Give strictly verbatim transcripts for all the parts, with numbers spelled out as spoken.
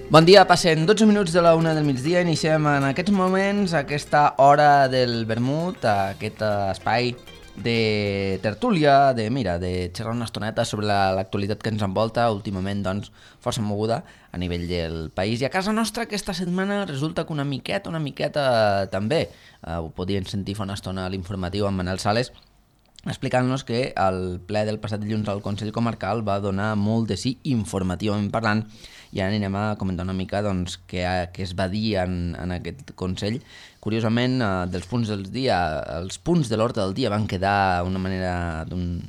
Bon dia, passen dotze minuts de la una del migdia, iniciem en aquests moments aquesta hora del vermut, aquest espai de tertúlia, de mira, de xerrar una estoneta sobre l'actualitat que ens envolta, últimament doncs força moguda a nivell del país. I a casa nostra aquesta setmana resulta que una miqueta, una miqueta també, eh, ho podien sentir fa una estona a l'informatiu amb Manel Sales, explicant-nos que el ple del passat dilluns al Consell Comarcal va donar molt de sí informativament parlant, i ara anirem a comentar una mica doncs, què, què es va dir en, en aquest Consell. Curiosament, eh, dels punts del dia, els punts de l'ordre del dia van quedar d'una manera d'un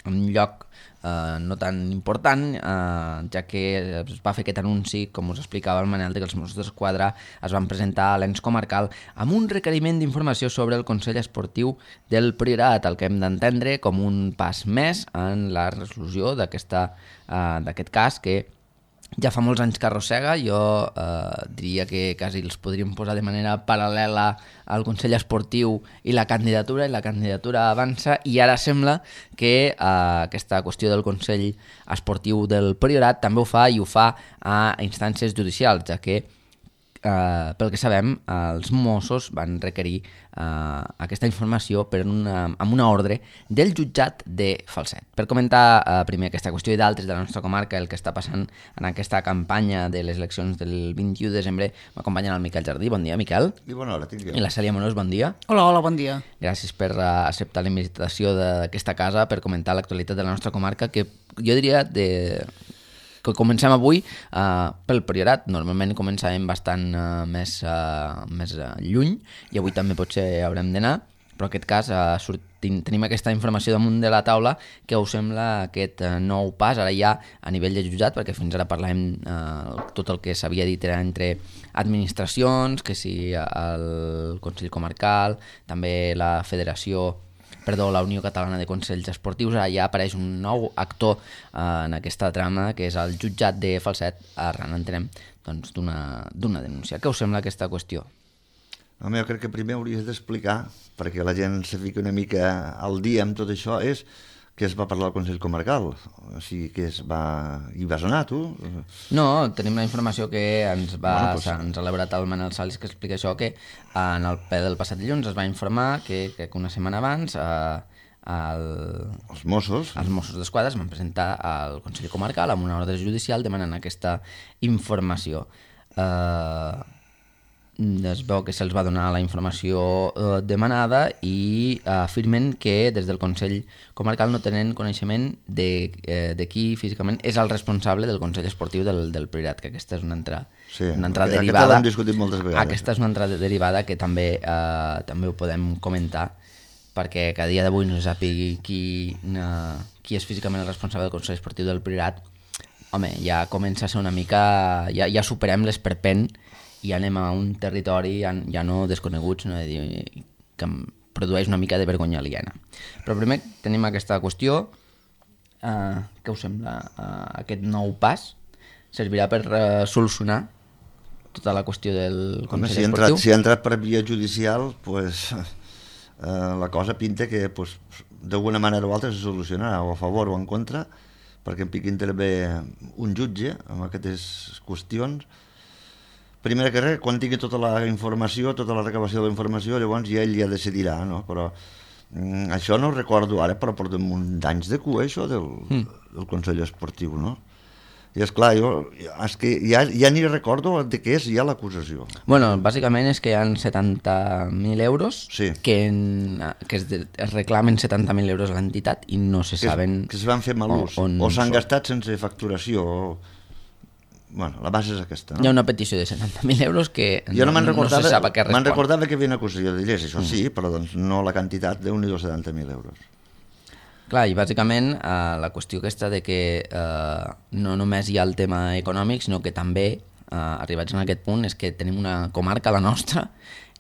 un lloc eh, no tan important, eh, ja que es va fer aquest anunci, com us explicava el Manel, que els Mossos d'Esquadra es van presentar a l'ens comarcal amb un requeriment d'informació sobre el Consell Esportiu del Priorat, el que hem d'entendre com un pas més en la resolució d'aquesta, eh, d'aquest cas que ja fa molts anys que arrossega. Jo eh, diria que quasi els podríem posar de manera paral·lela al Consell Esportiu i la candidatura, i la candidatura avança, i ara sembla que eh, aquesta qüestió del Consell Esportiu del Priorat també ho fa, i ho fa a instàncies judicials, ja que Uh, pel que sabem, uh, els Mossos van requerir uh, aquesta informació per una, amb una ordre del jutjat de Falset. Per comentar uh, primer aquesta qüestió i d'altres de la nostra comarca, el que està passant en aquesta campanya de les eleccions del vint-i-u de desembre, m'acompanyen el Miquel Jardí. Bon dia, Miquel. I bona hora, tinc jo. I la Cèlia Monós, bon dia. Hola, hola, bon dia. Gràcies per uh, acceptar la invitació d'aquesta casa per comentar l'actualitat de la nostra comarca, que jo diria de... que comencem avui uh, pel Priorat. Normalment començàvem bastant uh, més, uh, més uh, lluny, i avui també potser haurem d'anar, però en aquest cas uh, sortim, tenim aquesta informació damunt de la taula. Que us sembla aquest uh, nou pas ara ja a nivell de jutjat? Perquè fins ara parlàvem uh, tot el que s'havia dit era entre administracions, que si el Consell Comarcal, també la Federació Perdó, la Unió Catalana de Consells Esportius. Ara ja apareix un nou actor eh, en aquesta trama, que és el jutjat de Falset, arran, entenem, doncs, d'una d'una denúncia. Què us sembla aquesta qüestió? Home, jo crec que primer hauries d'explicar, perquè la gent se fica una mica al dia amb tot això, és que es va parlar al Consell Comarcal. O sigui, que es va... Hi vas anar, tu? No, tenim la informació que ens va Bueno, pues... ens ha elaborat el Manel Sales, que explica això, que en el ple del passat dilluns es va informar que, que una setmana abans eh, el... els Mossos els Mossos d'Esquadra es van presentar al Consell Comarcal amb una ordre judicial demanant aquesta informació. Eh... es veu que se'ls va donar la informació eh, demanada, i eh, afirmen que des del Consell Comarcal no tenen coneixement de, eh, de qui físicament és el responsable del Consell Esportiu del, del Priorat, que aquesta és una entrada, sí, una entrada aquesta derivada. l'hem discutit moltes vegades. Aquesta és una entrada derivada que també, eh, també ho podem comentar, perquè que a dia d'avui no se sàpigui qui, eh, qui és físicament el responsable del Consell Esportiu del Priorat. Home, ja comença a ser una mica... Ja, ja superem l'esperpent i anem a un territori ja, ja no desconegut, sinó de dir, que em produeix una mica de vergonya aliena. Però primer tenim aquesta qüestió. Uh, què us sembla? Uh, aquest nou pas servirà per uh, solucionar tota la qüestió del Home, Consell si ha Esportiu? entrat, si ha entrat per via judicial, pues, eh, la cosa pinta que pues, d'alguna manera o altra se solucionarà, o a favor o en contra, perquè en piqui intervé un jutge amb aquestes qüestions. Primer que res, quan tingui tota la informació, tota la recabació de la informació, llavors ja ell ja decidirà, no? Però mm, això no ho recordo ara, però portem un d'anys de cua, això del, mm. del Consell Esportiu, no? I esclar, jo és que ja, ja ni recordo de què és ja l'acusació. Bueno, bàsicament és que hi ha setanta mil euros, sí. que, en, que es, de, es reclamen setanta mil euros a l'entitat i no se que saben... Es, que es van fer mal ús, on, o s'han són. gastat sense facturació, o... Bueno, la base és aquesta, no? Hi ha una petició de setanta mil euros que jo no, no, no se sap a què respon. Me'n recordava que hi havia una acusació de lleis, això mm. sí, però doncs no la quantitat d'un-i-dos setanta mil euros. Clar, i bàsicament eh, la qüestió aquesta de que eh, no només hi ha el tema econòmic, sinó que també, eh, arribats en aquest punt, és que tenim una comarca, la nostra,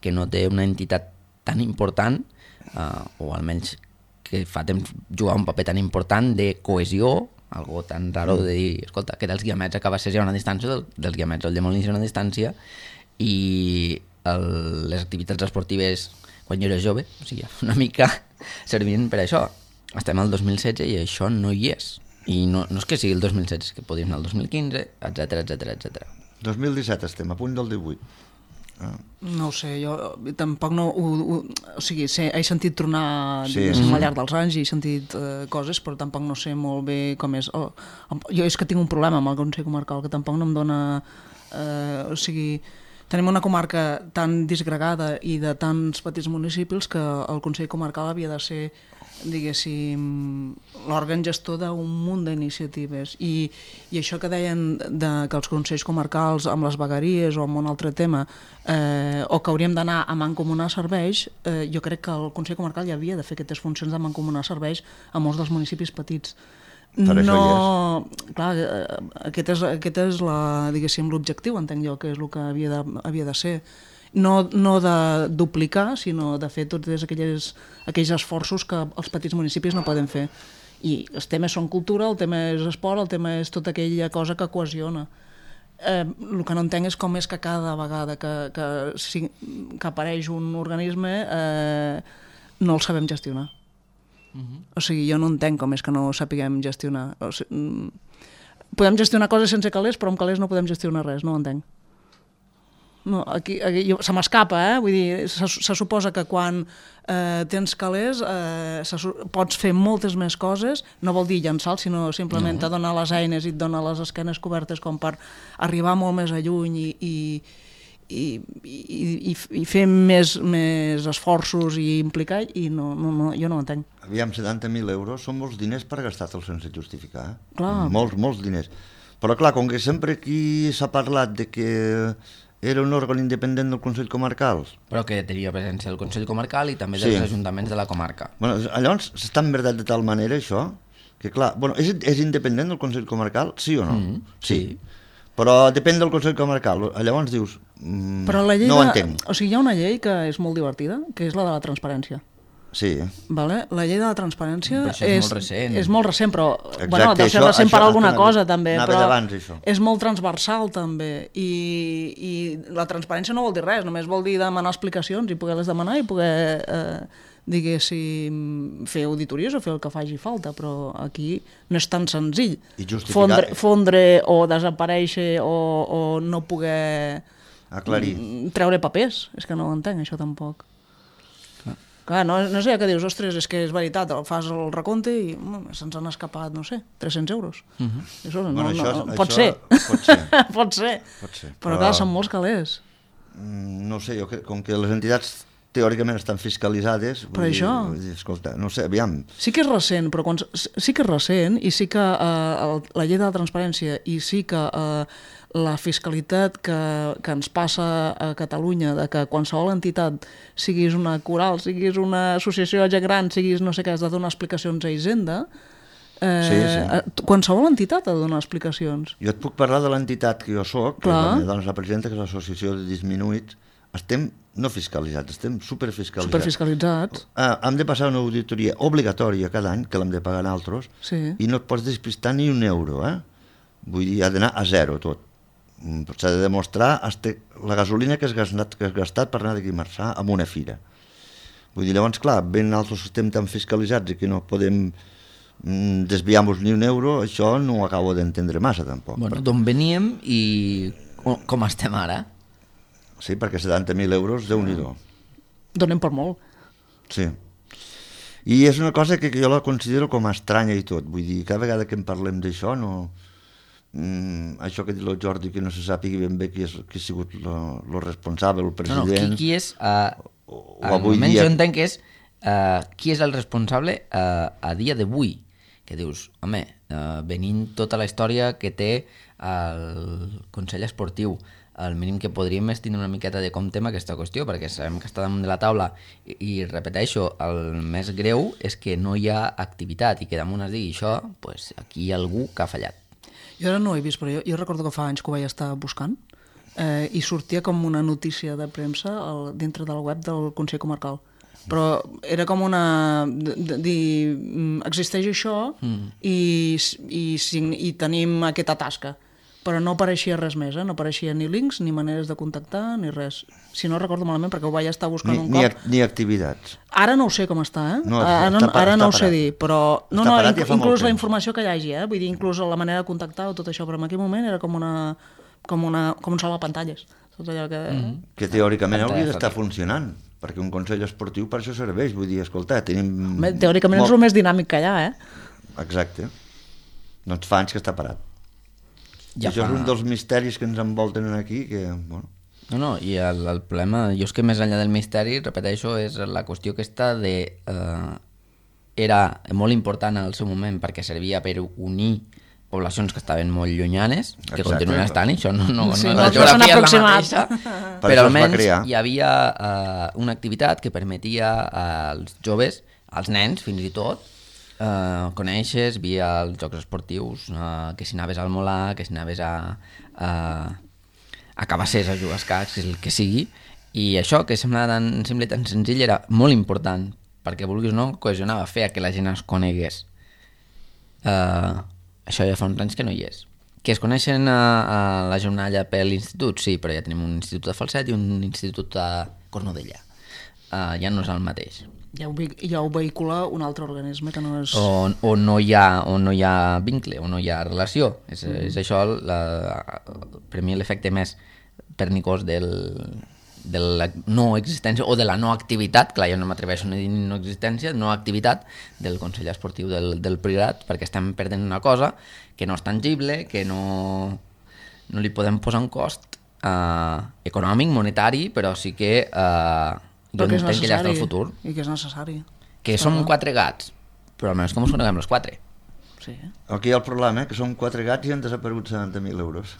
que no té una entitat tan important, eh, o almenys que fa temps jugar un paper tan important de cohesió, algo tan raro de dir, escolta, que dels Guiamets acaba ser ja una distància, del, dels Guiamets al de Molins una distància, i el, les activitats esportives quan jo era jove, o sigui, una mica servien per això. Estem al dos mil setze i això no hi és. I no, no és que sigui el dos mil setze, és que podríem anar al dos mil quinze, etcètera, etcètera, etcètera. dos mil disset estem, a punt del divuit. Ah. No ho sé, jo tampoc no... Ho, ho, o sigui, sé, he sentit tronar Sí, sí, sí. al llarg dels anys i he sentit eh, coses, però tampoc no sé molt bé com és. Oh, jo és que tinc un problema amb el Consell Comarcal, que tampoc no em dona... Eh, o sigui, tenim una comarca tan disgregada i de tants petits municipis que el Consell Comarcal havia de ser, diguéssim, l'òrgan gestor d'un munt d'iniciatives. I, I això que deien de, que els consells comarcals amb les vegueries o amb un altre tema, eh, o que hauríem d'anar a mancomunar serveis, eh, jo crec que el Consell Comarcal ja havia de fer aquestes funcions de mancomunar serveis a molts dels municipis petits. Per això No, clar, eh, aquest és, aquest és la, diguéssim, l'objectiu, entenc jo, que és el que havia de, havia de ser. No, no de duplicar, sinó de fer tots aquells, aquells esforços que els petits municipis no poden fer. I els temes són cultura, el tema és esport, el tema és tota aquella cosa que cohesiona. Eh, el que no entenc és com és que cada vegada que, que, si, que apareix un organisme eh, no el sabem gestionar. Uh-huh. O sigui, jo no entenc com és que no ho sapiguem gestionar. O sigui, podem gestionar coses sense calés, però amb calés no podem gestionar res, no ho entenc. No, aquí, aquí jo, se m'escapa, eh? Vull dir, se, se suposa que quan eh, tens calés eh, se, pots fer moltes més coses, no vol dir llançar, sinó simplement no. te dona les eines i et dona les esquenes cobertes com per arribar molt més a lluny i, i, i, i, i, i fer més, més esforços i implicar, i no, no, no, jo no ho entenc. Aviam, setanta mil euros són molts diners per gastar-te'ls sense justificar. Eh? Clar. Molts, molts diners. Però clar, com que sempre aquí s'ha parlat de que era un òrgan independent del Consell Comarcal. Però que tenia presència del Consell Comarcal i també Sí. dels ajuntaments de la comarca. Bueno, llavors s'està enverdat de tal manera això, que clar, bueno, és, és independent del Consell Comarcal, sí o no? Mm, sí. sí. Però depèn del Consell Comarcal. Llavors dius, mm, Però la llei no ho de, entenc. o sigui, hi ha una llei que és molt divertida, que és la de la transparència. Sí. Vale? La llei de la transparència Però això és molt recent. és molt recent, però Exacte, bueno, deu ser això- recent per això alguna anava- cosa també, anava però d'abans, això. és molt transversal també, i, i la transparència no vol dir res, només vol dir demanar explicacions i poder-les demanar i poder, eh, diguéssim, fer auditories o fer el que faci falta, però aquí no és tan senzill. I justificar- Fondre, fondre o desaparèixer o, o no poder Aclarir. mm, treure papers, és que no ho entenc això tampoc. Clar, no, no sé, que dius, ostres, és que és veritat, fas el recompte i mm, se'ns han escapat, no sé, tres-cents euros. Uh -huh. Això, no, Bueno, no, això- no, pot, això ser. pot ser. pot ser. Pot ser. Però, Però- clar, són molts calés. Mm, No sé, jo crec, com que les entitats teòricament estan fiscalitzades... Per vull això. Dir, vull dir, escolta, no sé, aviam... Sí que és recent, però quan, sí que és recent i sí que eh, el, la llei de la transparència i sí que eh, la fiscalitat que, que ens passa a Catalunya, de que qualsevol entitat, siguis una coral, siguis una associació de gent gran, siguis no sé què, has de donar explicacions a Hisenda, eh, Sí, sí. qualsevol entitat ha de donar explicacions. Jo et puc parlar de l'entitat que jo soc, que Clar. la meva dona és la presidenta, que és l'Associació de Disminuïts. Estem no fiscalitzats, estem superfiscalitzats. Superfiscalitzats. Ah, hem de passar una auditoria obligatòria cada any, que l'hem de pagar nosaltres, Sí. i no et pots despistar ni un euro, eh? Vull dir, ha d'anar a zero tot. Mm, S'ha de demostrar hasta la gasolina que has gastat, que has gastat per anar d'aquí a Marçà amb una fira. Vull dir, llavors, clar, ben nosaltres estem tan fiscalitzats i que no podem mm, desviar-nos ni un euro, això no ho acabo d'entendre massa, tampoc. Bueno, d'on veníem i com- com estem ara? Sí, perquè setanta mil euros, Déu-n'hi-do. Donem per molt. Sí. I és una cosa que, que jo la considero com a estranya i tot. Vull dir, cada vegada que en parlem d'això, no... Mm, això que ha dit el Jordi, que no se sàpiga ben bé qui, és, qui ha sigut el responsable, el No, no, president... qui, qui és... Uh, o avui avui dia... dia- Jo entenc que és uh, qui és el responsable uh, a dia d'avui. Que dius, home, uh, venint tota la història que té el Consell Esportiu, el mínim que podríem és tenir una miqueta de compte amb aquesta qüestió, perquè sabem que està damunt de la taula i, i repeteixo, el més greu és que no hi ha activitat i que damunt es digui això, pues aquí hi ha algú que ha fallat. Jo ara no ho he vist, però jo, jo recordo que fa anys que ho vaig estar buscant eh, i sortia com una notícia de premsa al, dintre del web del Consell Comarcal. Però era com una... de- de- dir, mm, existeix això mm. i, i, sign- i tenim aquesta tasca. Però no apareixia res més, eh? No apareixia ni links, ni maneres de contactar, ni res. Si no recordo malament, perquè ho vaig estar buscant Ni, un ni, cop. ac- ni activitats. Ara no ho sé com està, eh? No, ara està, ara està no ho sé parat. dir, però... No, Està no, parat ja fa molt inclús la temps. informació que hi hagi, eh? Vull dir, inclús la manera de contactar o tot això, però en aquell moment era com una... com, una, com un salvapantalles. Tot allò que... Mm -hmm. Que teòricament Pantalla hauria d'estar fàcil. funcionant, perquè un consell esportiu per això serveix. Vull dir, escolta, tenim... Home, teòricament és el més dinàmic que hi ha, eh? Exacte. Doncs fa anys que està parat. Ja Ja això fa- és un dels misteris que ens envolten aquí, que, bueno... No, no, i el, el problema, jo és que més enllà del misteri, repeteixo, és la qüestió aquesta de... Eh, era molt important al seu moment perquè servia per unir poblacions que estaven molt llunyanes, que Exacte. continuen estant, això no, no, Sí, no, no, la no s'han geografia és la aproximat. mateixa, Per però això es va almenys crear. hi havia eh, una activitat que permetia als joves, als nens fins i tot, eh, coneixes via els jocs esportius, eh, que si anaves al Molà, que si anaves a... a a Cabassers a jugar a escacs, el que sigui, i això que semblava tan simple i tan senzill era molt important, perquè vulguis o no, cohesionava, feia que la gent es conegués. Uh, això ja fa uns anys que no hi és. Que es coneixen a, a la jornada per l'institut? Sí, però ja tenim un institut de Falset i un institut a Cornudella. Uh, ja no és el mateix. Ja ho, ve- ja ho vehicula un altre organisme que no és... O, o, no hi ha, o no hi ha vincle, o no hi ha relació. És, mm. és això, la, per mi, l'efecte més pernicós del, de la no existència o de la no activitat, clar, jo no m'atreveixo a dir no existència, no activitat del Consell Esportiu del, del Priorat, perquè estem perdent una cosa que no és tangible, que no, no li podem posar un cost eh, econòmic, monetari, però sí que eh, jo Però que és entenc que ja està el necessari, futur. I que és necessari. Que Està som clar. quatre gats, però almenys com us coneguem els quatre? Sí. Aquí hi ha el problema, eh, que són quatre gats i han desaparegut setanta mil euros.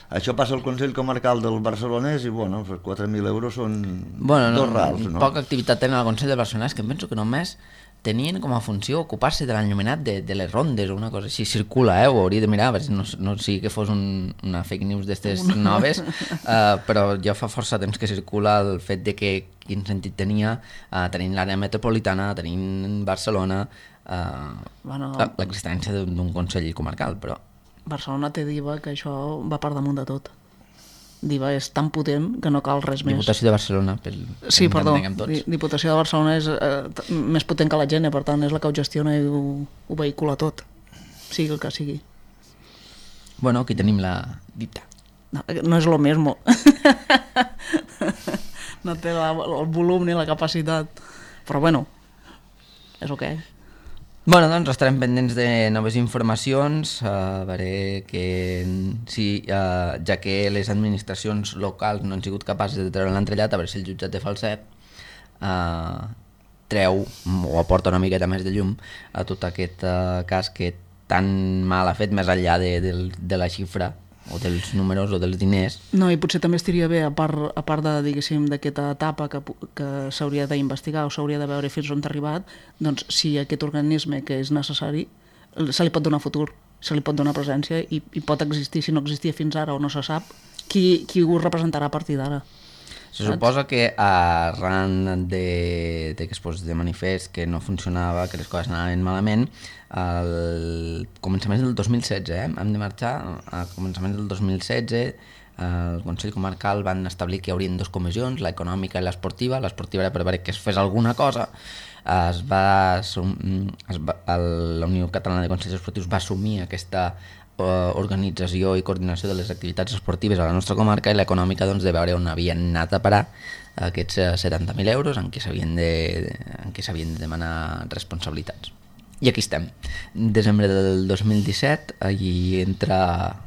Això passa al Consell Comarcal del Barcelonès i, bueno, doncs quatre mil euros són Bueno, no, dos rals, no? poca activitat tenen al Consell del Barcelonès, que em penso que només tenien com a funció ocupar-se de l'enllumenat de, de les rondes o una cosa així. Circula, eh? Ho hauria de mirar, a veure si no, no sigui que fos un, una fake news d'estes noves, uh, però ja fa força temps que circula el fet de que quin sentit tenia uh, tenint l'àrea metropolitana, tenint Barcelona, uh, Bueno, l'existència d'un d'un Consell Comarcal, però... Barcelona té Diva, que això va per damunt de tot. Diva és tan potent que no cal res més. Diputació de Barcelona, pel, Sí, que ens perdó, entenguem tots. Di- Diputació de Barcelona és eh, t- més potent que la gent, per tant és la que ho gestiona i ho, ho vehicula tot, sigui el que sigui. Bueno, aquí tenim la dipta. No, no és lo mismo. No té la, el volum ni la capacitat. Però bueno, és el que és. Bueno, doncs estarem pendents de noves informacions, a veure que si, uh, ja que les administracions locals no han sigut capaces de treure l'entrellat, a veure si el jutjat de Falset uh, treu o aporta una miqueta més de llum a tot aquest uh, cas que tan mal ha fet més enllà de, de, de la xifra o dels números o dels diners. No, i potser també estaria bé, a part, a part de, diguéssim, d'aquesta etapa que, pu- que s'hauria d'investigar o s'hauria de veure fins on ha arribat, doncs si aquest organisme que és necessari se li pot donar futur, se li pot donar presència i, i pot existir, si no existia fins ara o no se sap, qui, qui ho representarà a partir d'ara. Se suposa que arran de, de que es posés de manifest que no funcionava, que les coses anaven malament, al començament del dos mil setze, eh? hem de marxar, a començament del dos mil setze, el Consell Comarcal van establir que hi haurien dues comissions, l'econòmica i l'esportiva. L'esportiva era per veure que es fes alguna cosa. Es va, assum- es va, el, la Unió Catalana de Consells Esportius va assumir aquesta eh, organització i coordinació de les activitats esportives a la nostra comarca, i l'econòmica, doncs, de veure on havien anat a parar aquests eh, setanta mil euros en què s'havien de, en què s'havien de demanar responsabilitats. I aquí estem, desembre del dos mil disset, i entra,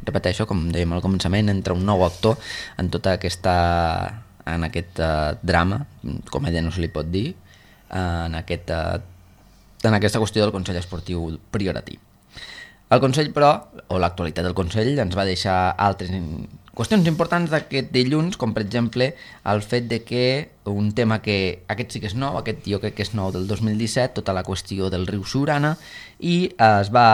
repeteixo, com dèiem al començament, entra un nou actor en tota aquesta, en aquest uh, drama, comèdia no se li pot dir, uh, en, aquest, uh, en aquesta qüestió del Consell Esportiu Prioratí. El Consell, però, o l'actualitat del Consell, ens va deixar altres qüestions importants d'aquest dilluns, com per exemple el fet de que un tema que aquest sí que és nou, aquest jo crec que és nou del dos mil disset, tota la qüestió del riu Siurana, i es va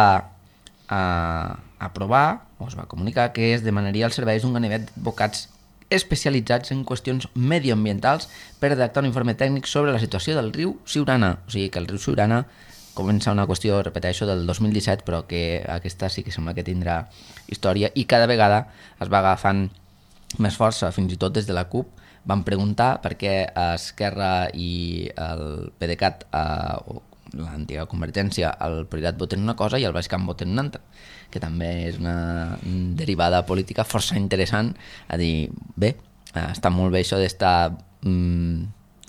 eh, aprovar, o es va comunicar, que es demanaria els serveis d'un ganivet d'advocats especialitzats en qüestions medioambientals per redactar un informe tècnic sobre la situació del riu Siurana. O sigui que el riu Siurana comença una qüestió, repeteixo, del dos mil disset, però que aquesta sí que sembla que tindrà història, i cada vegada es va agafant més força, fins i tot des de la CUP, van preguntar per què Esquerra i el PDeCAT, eh, l'antiga Convergència, el Prioritat voten una cosa i el Baix Camp voten una altra, que també és una derivada política força interessant a dir, bé, està molt bé això d'estar mm,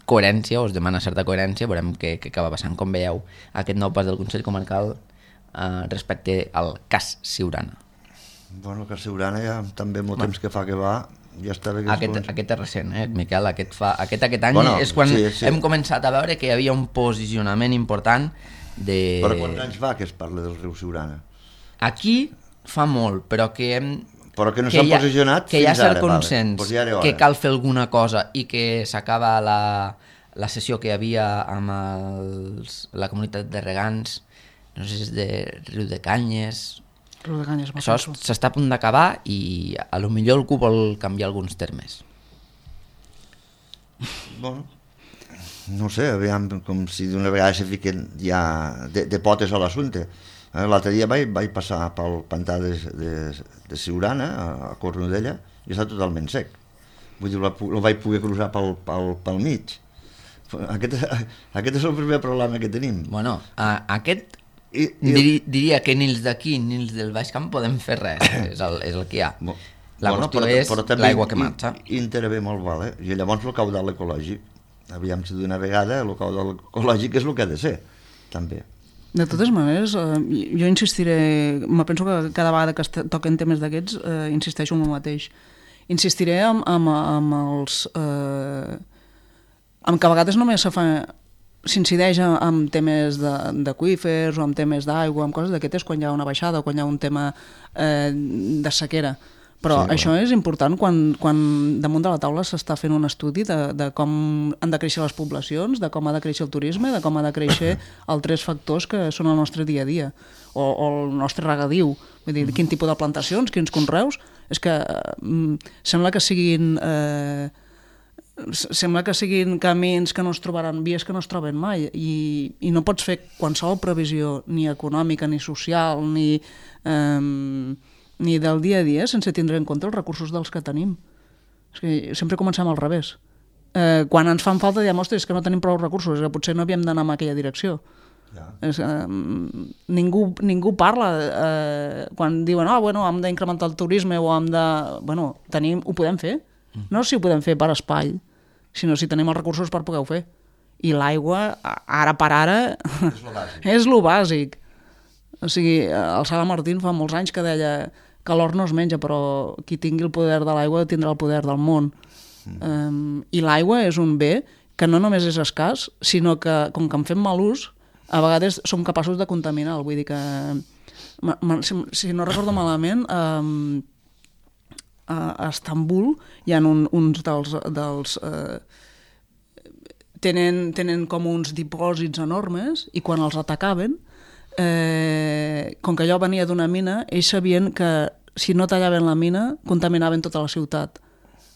coherència, o es demana certa coherència, veurem què, què acaba passant. Com veieu aquest nou pas del Consell Comarcal eh, respecte al cas Siurana? Bueno, el cas Siurana ja també molt temps que fa que va, ja està bé que aquest, comença... aquest és recent, eh, Miquel? Aquest, fa, aquest, aquest any bueno, és quan sí, sí. hem començat a veure que hi havia un posicionament important de... Però quants anys fa que es parla del riu Siurana? Aquí fa molt, però que hem... Però que no s'han posicionat que fins ara. Que hi ha cert ara, consens, vale. Pues ja que cal fer alguna cosa i que s'acaba la, la sessió que hi havia amb els, la comunitat de regants, no sé si és de Riu de Canyes... Riu de Canyes, això s'està a punt d'acabar i a lo millor algú vol canviar alguns termes. Bueno, no sé, aviam, com si d'una vegada se fiquen ja de, de potes a l'assumpte. L'altre dia vaig, vaig passar pel pantà de, de, de Siurana, a, a Cornudella, i està totalment sec. Vull dir, el vaig poder cruzar pel, pel, pel mig. Aquest, aquest és el primer problema que tenim. Bueno, a, aquest I, i... Dir, diria que ni els d'aquí ni els del Baix Camp podem fer res, és el, és el que hi ha. La bueno, qüestió però, és l'aigua que marxa. Intervé molt, vale? I llavors el caudal ecològic, aviam si d'una vegada el caudal ecològic és el que ha de ser, també. De totes maneres, eh, jo insistiré, me penso que cada vegada que toquen temes d'aquests, eh, insisteixo en el mateix. Insistiré amb, amb, amb els... Eh, amb que a vegades només se fa, s'incideix amb temes d'aqüífers o amb temes d'aigua, amb coses d'aquestes quan hi ha una baixada o quan hi ha un tema eh, de sequera. Però sí, això bueno. És important quan, quan damunt de la taula s'està fent un estudi de, de com han de créixer les poblacions, de com ha de créixer el turisme, de com ha de créixer els tres factors que són el nostre dia a dia, o, o el nostre regadiu, vull dir, quin tipus de plantacions, quins conreus, és que eh, sembla que siguin... Eh, sembla que siguin camins que no es trobaran, vies que no es troben mai, i, i no pots fer qualsevol previsió ni econòmica, ni social, ni... Eh, ni del dia a dia sense tindre en compte els recursos dels que tenim. És que sempre comencem al revés. Eh, quan ens fan falta diem, ostres, és que no tenim prou recursos, que potser no havíem d'anar en aquella direcció. Ja. És, eh, ningú, ningú parla eh, quan diuen, ah, bueno, hem d'incrementar el turisme o hem de... Bueno, tenim, ho podem fer. No si ho podem fer per espai, sinó si tenim els recursos per poder-ho fer. I l'aigua, ara per ara, és lo bàsic. És lo bàsic. O sigui, el Sala Martín fa molts anys que deia que l'or no es menja, però qui tingui el poder de l'aigua tindrà el poder del món. Mm. Um, I l'aigua és un bé que no només és escàs, sinó que, com que en fem mal ús, a vegades som capaços de contaminar. Vull dir que, si, si no recordo malament, um, a Estambul hi ha un, uns dels... dels uh, tenen, tenen com uns dipòsits enormes i quan els atacaven, Eh, com que allò venia d'una mina, ells sabien que si no tallaven la mina contaminaven tota la ciutat.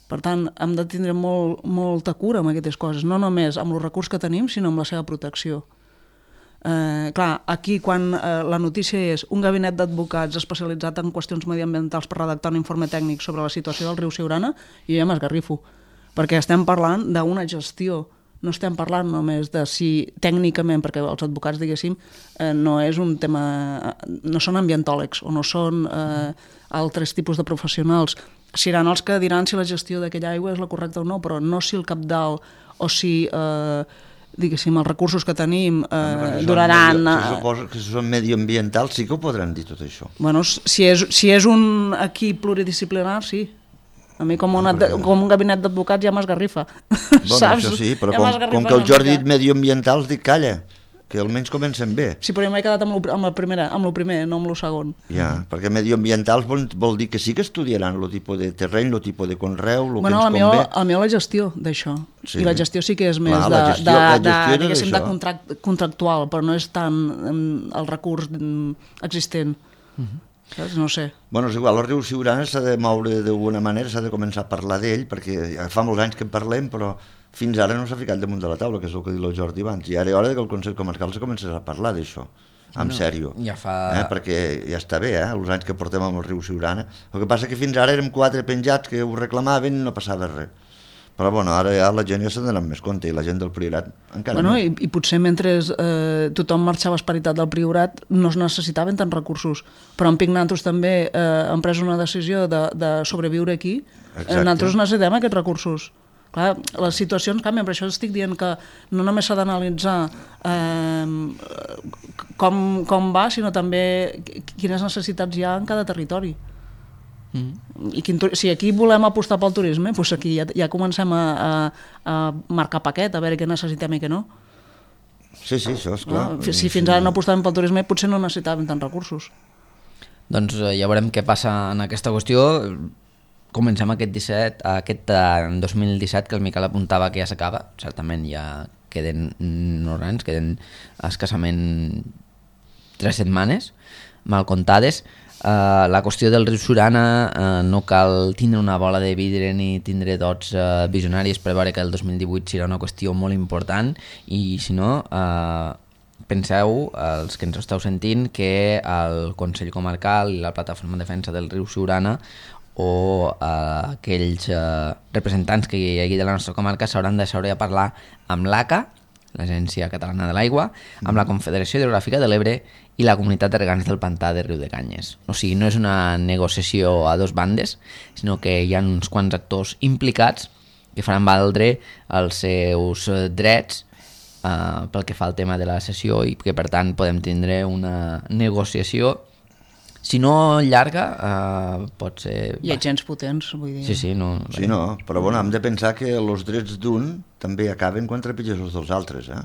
Per tant, hem de tindre molt, molta cura amb aquestes coses, no només amb els recursos que tenim, sinó amb la seva protecció. Eh, clar, aquí quan eh, la notícia és un gabinet d'advocats especialitzat en qüestions mediambientals per redactar un informe tècnic sobre la situació del riu Siurana, jo ja m'esgarrifo, perquè estem parlant d'una gestió. No estem parlant només de si tècnicament, perquè els advocats, diguéssim, eh, no és un tema... no són ambientòlegs o no són eh, altres tipus de professionals. Seran els que diran si la gestió d'aquella aigua és la correcta o no, però no si el cabdal o si, eh, diguéssim, els recursos que tenim eh, duraran... Medio, si suposo que si són medioambientals sí que ho podran dir tot això. Bueno, si és, si és un equip pluridisciplinar, sí. A mi com, una, com un gabinet d'advocats ja m'esgarrifa. Bueno, saps? Això sí, però ja com, com que el Jordi ha dit medioambientals, dic calla, que almenys comencem bé. Sí, però jo m'he quedat amb, lo, amb, la primera, amb el primer, no amb el segon. Ja, perquè medioambientals vol, vol dir que sí que estudiaran el tipus de terreny, el tipus de conreu, el bueno, que ens convé. Bueno, a mi la gestió d'això. Sí. I la gestió sí que és més Clar, de, gestió, de, de, de, diguéssim, de contract, contractual, però no és tant el recurs existent. Uh-huh. No sé. Bueno, és igual, el riu Siurana s'ha de moure d'alguna manera, s'ha de començar a parlar d'ell, perquè fa molts anys que en parlem, però fins ara no s'ha ficat damunt de la taula, que és el que diu el Jordi abans. I ara és hora que el Consell Comarcal se comenci a parlar d'això, en no, sèrio. Ja fa... Eh? Perquè ja està bé, eh? Els anys que portem amb el riu Siurana. El que passa que fins ara érem quatre penjats que ho reclamaven i no passava res. Però bueno, ara ja la gent ja s'ha donat més compte i la gent del Priorat encara Bueno, més. i, I potser mentre eh, tothom marxava esperitat del Priorat no es necessitaven tants recursos, però en Pic nosaltres també eh, hem pres una decisió de, de sobreviure aquí. Exacte. Nosaltres necessitem aquests recursos. Clar, les situacions canvien, per això estic dient que no només s'ha d'analitzar eh, com, com va, sinó també quines necessitats hi ha en cada territori. Mm. I quin, si aquí volem apostar pel turisme, doncs aquí ja, ja comencem a, a, a marcar paquet, a veure què necessitem i què no. Sí, sí, això és clar. No? Si fins ara no apostàvem pel turisme, potser no necessitàvem tants recursos. Doncs ja veurem què passa en aquesta qüestió. Comencem aquest disset, aquest any dos mil disset, que el Miquel apuntava que ja s'acaba. Certament ja queden norants, queden escassament tres setmanes mal comptades. Uh, la qüestió del riu Siurana, uh, no cal tindre una bola de vidre ni tindre dots uh, visionàries per veure que el dos mil divuit serà una qüestió molt important, i si no, uh, penseu, els que ens esteu sentint, que el Consell Comarcal i la Plataforma de Defensa del riu Siurana o uh, aquells uh, representants que hi hagi de la nostra comarca s'hauran de seure a parlar amb l'A C A, l'Agència Catalana de l'Aigua, amb la Confederació Hidrogràfica de l'Ebre i la Comunitat de Regants del Pantà de Riu de Canyes. O sigui, no és una negociació a dos bandes, sinó que hi ha uns quants actors implicats que faran valdre els seus drets uh, pel que fa al tema de la sessió, i que per tant podem tindre una negociació, si no llarga, uh, pot ser... Hi ha gens potents, vull dir... Sí, sí, no... Sí, no, però bueno, hem de pensar que els drets d'un també acaben quan trepitges els dels altres, eh?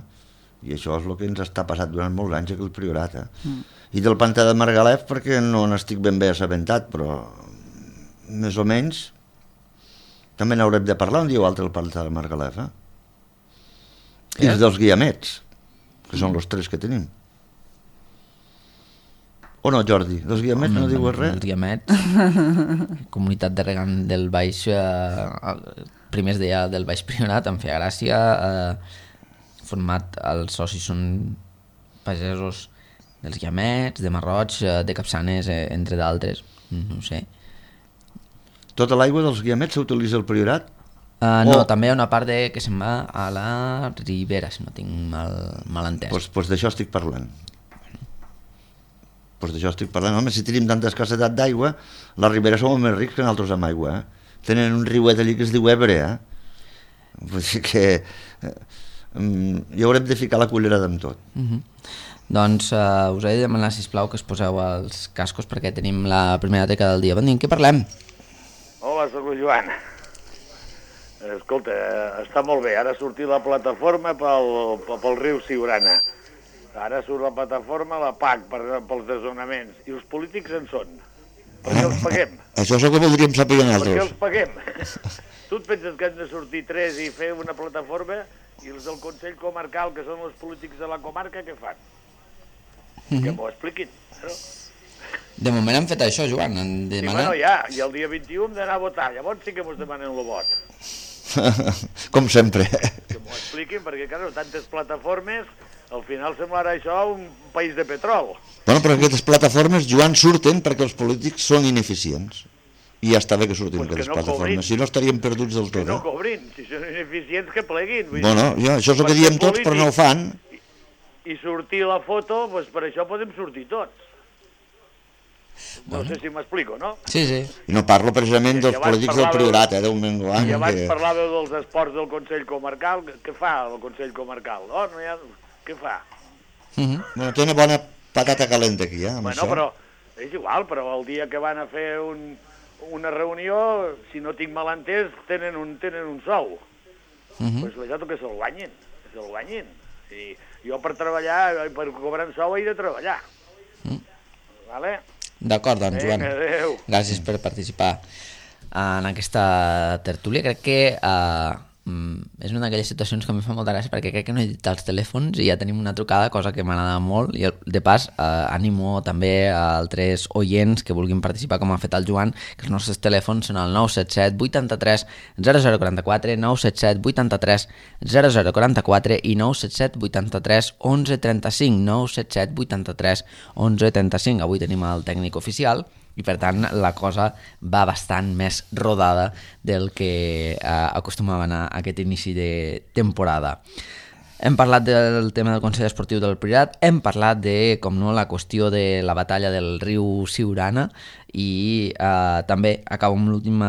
I això és el que ens està passant durant molts anys aquí al Priorat, eh? Mm. I del Pantà de Margalef, perquè no n'estic ben bé assabentat, però més o menys també n'haurem de parlar un dia o altre del Pantà de Margalef, eh? I els dels guiamets, que són els tres que tenim. O no, Jordi? Dels guiamets no dius res? Els guiamets, comunitat de regant del Baix, eh, primers deia del Baix Priorat, em feia gràcia, eh, format, els socis són pagesos dels guiamets, de Marroig, eh, de Capçanes, eh, entre d'altres, no ho sé. Tota l'aigua dels guiamets s'utilitza al Priorat? Uh, no, oh. També hi ha una part de, que se'n va a la Ribera, si no tinc mal, mal entès. Doncs pues, pues d'això estic parlant. Pues d'això estic parlant. Home, si tenim tanta escassetat d'aigua, la Ribera som més rics que nosaltres amb aigua, eh? Tenen un riuet allí que es diu Ebre, eh? Vull dir que eh, hi haurem de ficar la cullerada amb tot. Uh-huh. Doncs uh, us he de demanar, sisplau, que es poseu els cascos perquè tenim la primera teca del dia. Bon dia, en què parlem? Hola, soc el Joan. Escolta, està molt bé. Ara ha sortit la plataforma pel, pel riu Siurana. Ara surt la plataforma, la P A C, per, pels desnonaments. I els polítics en són. Per què els paguem? Això és el que voldríem saber nosaltres. Per què els paguem? Tu et penses que han de sortir tres i fer una plataforma, i els del Consell Comarcal, que són els polítics de la comarca, què fan? Mm-hmm. Que m'ho expliquin. No? De moment han fet això, Joan. Han Sí, demanat... bueno, ja. I el dia vint-i-u hem d'anar a votar. Llavors sí que mos demanen el vot. Com sempre. Que m'ho expliquin, perquè, clar, tantes plataformes... Al final semblarà això un país de petrol. Bueno, però aquestes plataformes, Joan, surten perquè els polítics són ineficients. I ja està bé que surtin pues aquestes que no plataformes. cobrin. Si no estaríem perduts del Que tot. no Eh? cobrin. Si són ineficients, que pleguin. Vull Bueno, dir, ja, això és el que diem tots, però no ho fan. I, i sortir la foto, doncs per això podem sortir tots. No bueno. sé si m'explico, no? Sí, sí. I no parlo precisament dels polítics del Priorat, eh, d'un menguant. I abans que... parlàveu dels esports del Consell Comarcal. Què fa el Consell Comarcal? Oh, no hi ha... Què fa? Uh-huh. Bueno, té una bona patata calenta aquí, eh, amb Bueno, això. però és igual, però el dia que van a fer un, una reunió, si no tinc mal entès, tenen un, tenen un sou. Uh-huh. Pues deixat que se'l guanyin, que se'l guanyin. Sí, jo per treballar, per cobrar un sou he de treballar. Uh-huh. Vale? D'acord, doncs, Joan. Vinga, adéu. Gràcies per participar en aquesta tertúlia. Crec que uh, és una d'aquelles situacions que a mi fa molta gràcia, perquè crec que no he dit els telèfons i ja tenim una trucada, cosa que m'agrada molt, i de pas eh, animo també a altres oients que vulguin participar com ha fet el Joan, que els nostres telèfons són el nou set set vuitanta-tres zero zero quaranta-quatre, nou set set vuitanta-tres zero zero quaranta-quatre i nou set set vuitanta-tres onze trenta-cinc, nou set set vuitanta-tres onze trenta-cinc. Avui tenim el tècnic oficial, i per tant la cosa va bastant més rodada del que eh, acostumava a anar aquest inici de temporada. Hem parlat del tema del Consell Esportiu del Priorat, hem parlat de, com no, la qüestió de la batalla del riu Siurana i eh, també acabo amb l'última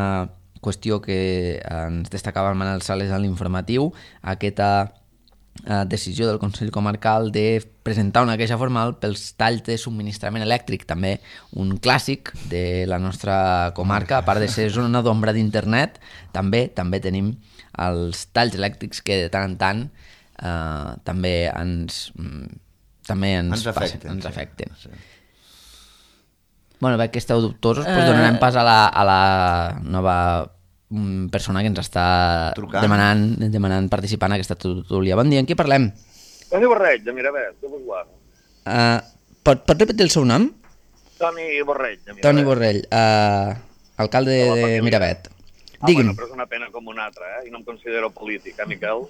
qüestió que ens destacava el Manel Sales a l'informatiu, aquesta eh, decisió del Consell Comarcal de presentar una queixa formal pels talls de subministrament elèctric, també un clàssic de la nostra comarca, a part de ser zona d'ombra d'internet, també també tenim els talls elèctrics que de tant en tant Uh, també ens també ens, ens afecten, passen, ens sí. afecten. Sí. Bueno, veig que esteu dubtosos, doncs donarem pas a la, a la nova persona que ens està Trucant. demanant, demanant participar en aquesta tertúlia. Bon dia, en qui parlem? Toni Borrell, de Miravet, de Busguà. Uh, pot, pot repetir el seu nom? Toni Borrell, de Miravet. Toni Borrell, uh, alcalde de, de Miravet. Ah, Digui'm. bueno, però és una pena com una altra, eh? I no em considero polític, eh, Miquel?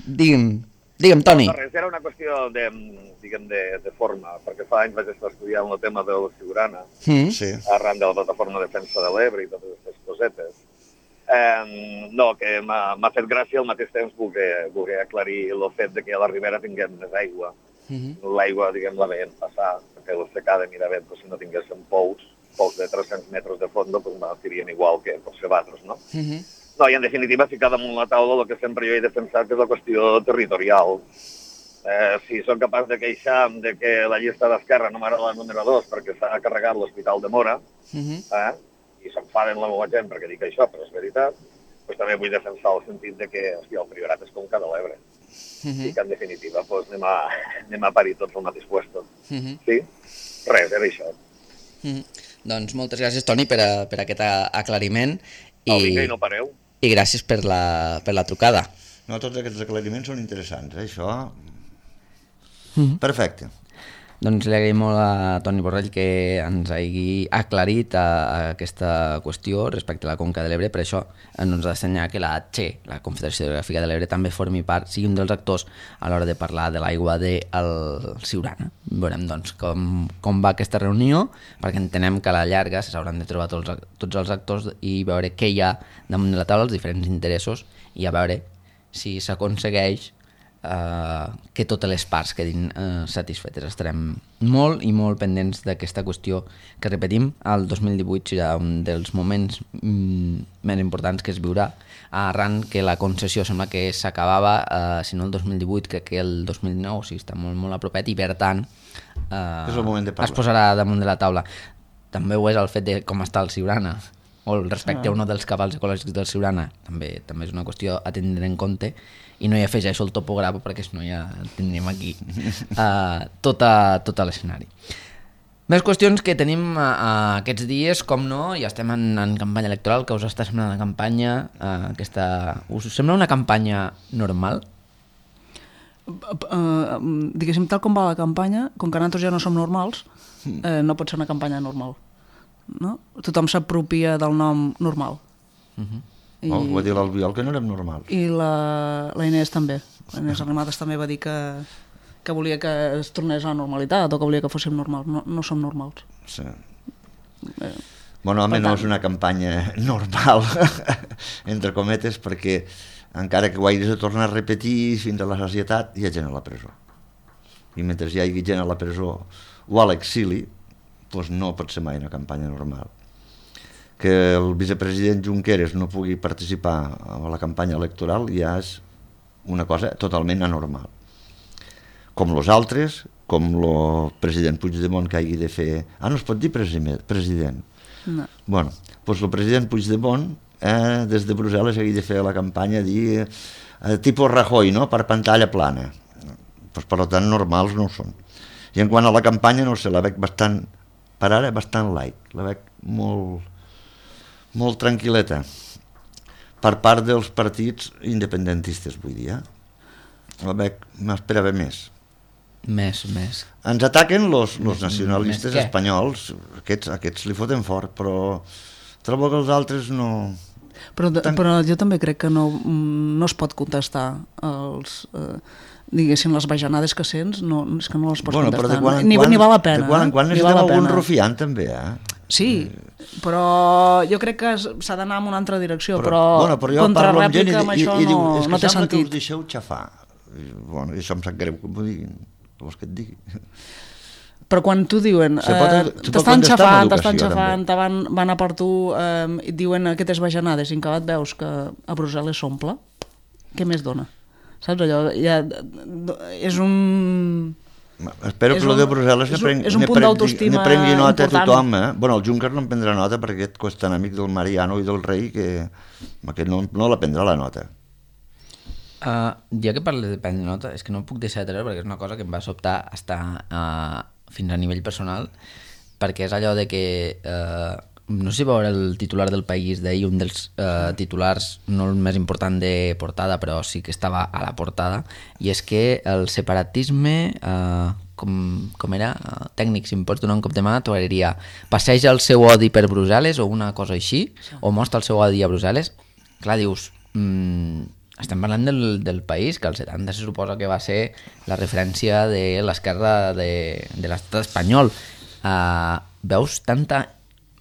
Digue'm, digue'm, Toni. No, res, era una qüestió de, diguem, de, de forma, perquè fa anys vaig estar estudiant el tema de la Siurana, Mm. Sí. arran de la plataforma de defensa de l'Ebre i totes aquestes cosetes. Eh, no, que m'ha m'ha fet gràcia al mateix temps voler, voler aclarir el fet de que a la Ribera tinguem més aigua. Mm-hmm. L'aigua, diguem, la veiem passar, perquè la secada de Miravet, pues, si no tinguéssim pous, pous de tres-cents metres de fondo, pues, m'atirien igual que els cebatros, no? Mm-hmm. No, i en definitiva ficar damunt la taula el que sempre jo he defensat, que és la qüestió territorial. Eh, si som capaç de queixar de que la llista d'Esquerra no m'agrada la número dos perquè s'ha carregat l'Hospital de Mora, Mm-hmm. eh, i s'enfaden la meva gent perquè dic això, però és veritat, doncs també vull defensar el sentit de que, hòstia, el Priorat és Conca de l'Ebre. Mm-hmm. I que, en definitiva, doncs, anem, a, anem a parir tots al mateix puesto. Mm-hmm. Sí? Res, era això. Mm-hmm. Doncs moltes gràcies, Toni, per, a, per aquest aclariment i, No, vinga, i no pareu. i gràcies per la, per la trucada. No, tots aquests aclariments són interessants, eh? Això... Mm-hmm. Perfecte. Doncs li agraïm molt a Toni Borrell que ens hagi aclarit a, a aquesta qüestió respecte a la Conca de l'Ebre. Per això ens ha d'assenyar que la CHE, la Confederació Hidrogràfica de l'Ebre, també formi part, sigui un dels actors a l'hora de parlar de l'aigua del Siurana. Veurem doncs com, com va aquesta reunió, perquè entenem que a la llarga s'hauran de trobar tots, tots els actors i veure què hi ha damunt de la taula, els diferents interessos, i a veure si s'aconsegueix Uh, que totes les parts quedin uh, satisfetes. Estarem molt i molt pendents d'aquesta qüestió que, repetim, el dos mil divuit serà un dels moments mm, més importants que es viurà, arran que la concessió sembla que s'acabava, uh, si no el dos mil divuit, crec que el dos mil dinou, o sigui, està molt, molt a propet, i per tant uh, És el moment de parlar. es posarà damunt de la taula. També ho és el fet de com està el Siurana, o el respecte ah. a un dels cabals ecològics del Siurana, també també és una qüestió a tindre en compte, i no hi afegeixo el topògraf perquè si no ja tindríem aquí uh, tota, tota l'escenari. Més qüestions que tenim uh, aquests dies, com no, ja estem en, en campanya electoral, que us està semblant la campanya, uh, aquesta... us sembla una campanya normal? Uh, diguéssim, tal com va la campanya, com que nosaltres ja no som normals, eh, no pot ser una campanya normal. No? Tothom s'apropia del nom normal. Uh-huh. I, Oh, ho va dir l'Albiol, que no érem normals. i la, la Inés també. La Inés Arrimadas també va dir que, que volia que es tornés a la normalitat o que volia que fóssim normals. No, no som normals. Sí. Eh, Bueno, home, Per no tant. és una campanya normal, entre cometes, perquè encara que ho hagis de tornar a repetir fins a la societat, hi ha gent a la presó. I mentre hi hagi gent a la presó o a l'exili, doncs no pot ser mai una campanya normal. Que el vicepresident Junqueras no pugui participar a la campanya electoral ja és una cosa totalment anormal. Com los altres, com el president Puigdemont que hagi de fer... Ah, no es pot dir president. no. Bueno, doncs el president Puigdemont eh, des de Brussel·les hagi de fer la campanya dir eh, tipus Rajoy, no?, per pantalla plana. Pues, per tant, normals no ho són. I en quant a la campanya, no sé, la veig bastant, per ara, bastant light. La veig molt, molt tranquil·leta per part dels partits independentistes, vull dir. Eh? La veig, m'esperava més. Més, més. Ens ataquen los, los nacionalistes Més què? espanyols, aquests, aquests li foten fort, però trobo que els altres no... Però, de, Tan- però jo també crec que no, no es pot contestar als, eh, diguéssim, les bajanades que sents, no, és que no les pots bueno, contestar. Quan Ni, quan, ni val la pena. De quan en quan eh? necessitem algun rufiant, també, eh? Sí, però jo crec que s'ha d'anar en una altra direcció, però, bueno, però jo parlo amb gent i, amb això i, i diu, no, és que no té sembla que sentit. us deixeu xafar. I, bueno, i això em sap greu que m'ho diguin, què vols que et digui? Però quan t'ho diuen, Se pot- eh, se pot t'estan contestar amb xafant, educació, t'estan xafant, també. te van, van a per tu eh, i et diuen aquestes bajanades i en acabat veus que a Brussel·les s'omple, què més dona? Saps allò? Ja, és un... Espero És que el un- de Brussel·les és ne un- prengui, és un ne punt prengui, d'autoestima ne prengui nota a important. tothom. Eh? Bueno, el Juncker no en prendrà nota perquè aquest és tan amic del Mariano i del rei que aquest no, no la prendrà la nota. Uh, ja que parles de prendre nota, és que no puc deixar de treure perquè és una cosa que em va sobtar hasta, uh, fins a nivell personal, perquè és allò de que uh, no sé si veure el titular del País d'ahir, un dels uh, titulars no el més important de portada, però sí que estava a la portada, i és que el separatisme, uh, com, com era, uh, tècnic, si em pots donar un cop de mà, t'ho diria, passeja el seu odi per Brussel·les o una cosa així, o mostra el seu odi a Brussel·les. Clar, dius, mm, estem parlant del, del País, que al setanta se suposa que va ser la referència de l'esquerra de, de l'estat espanyol. Uh, veus tanta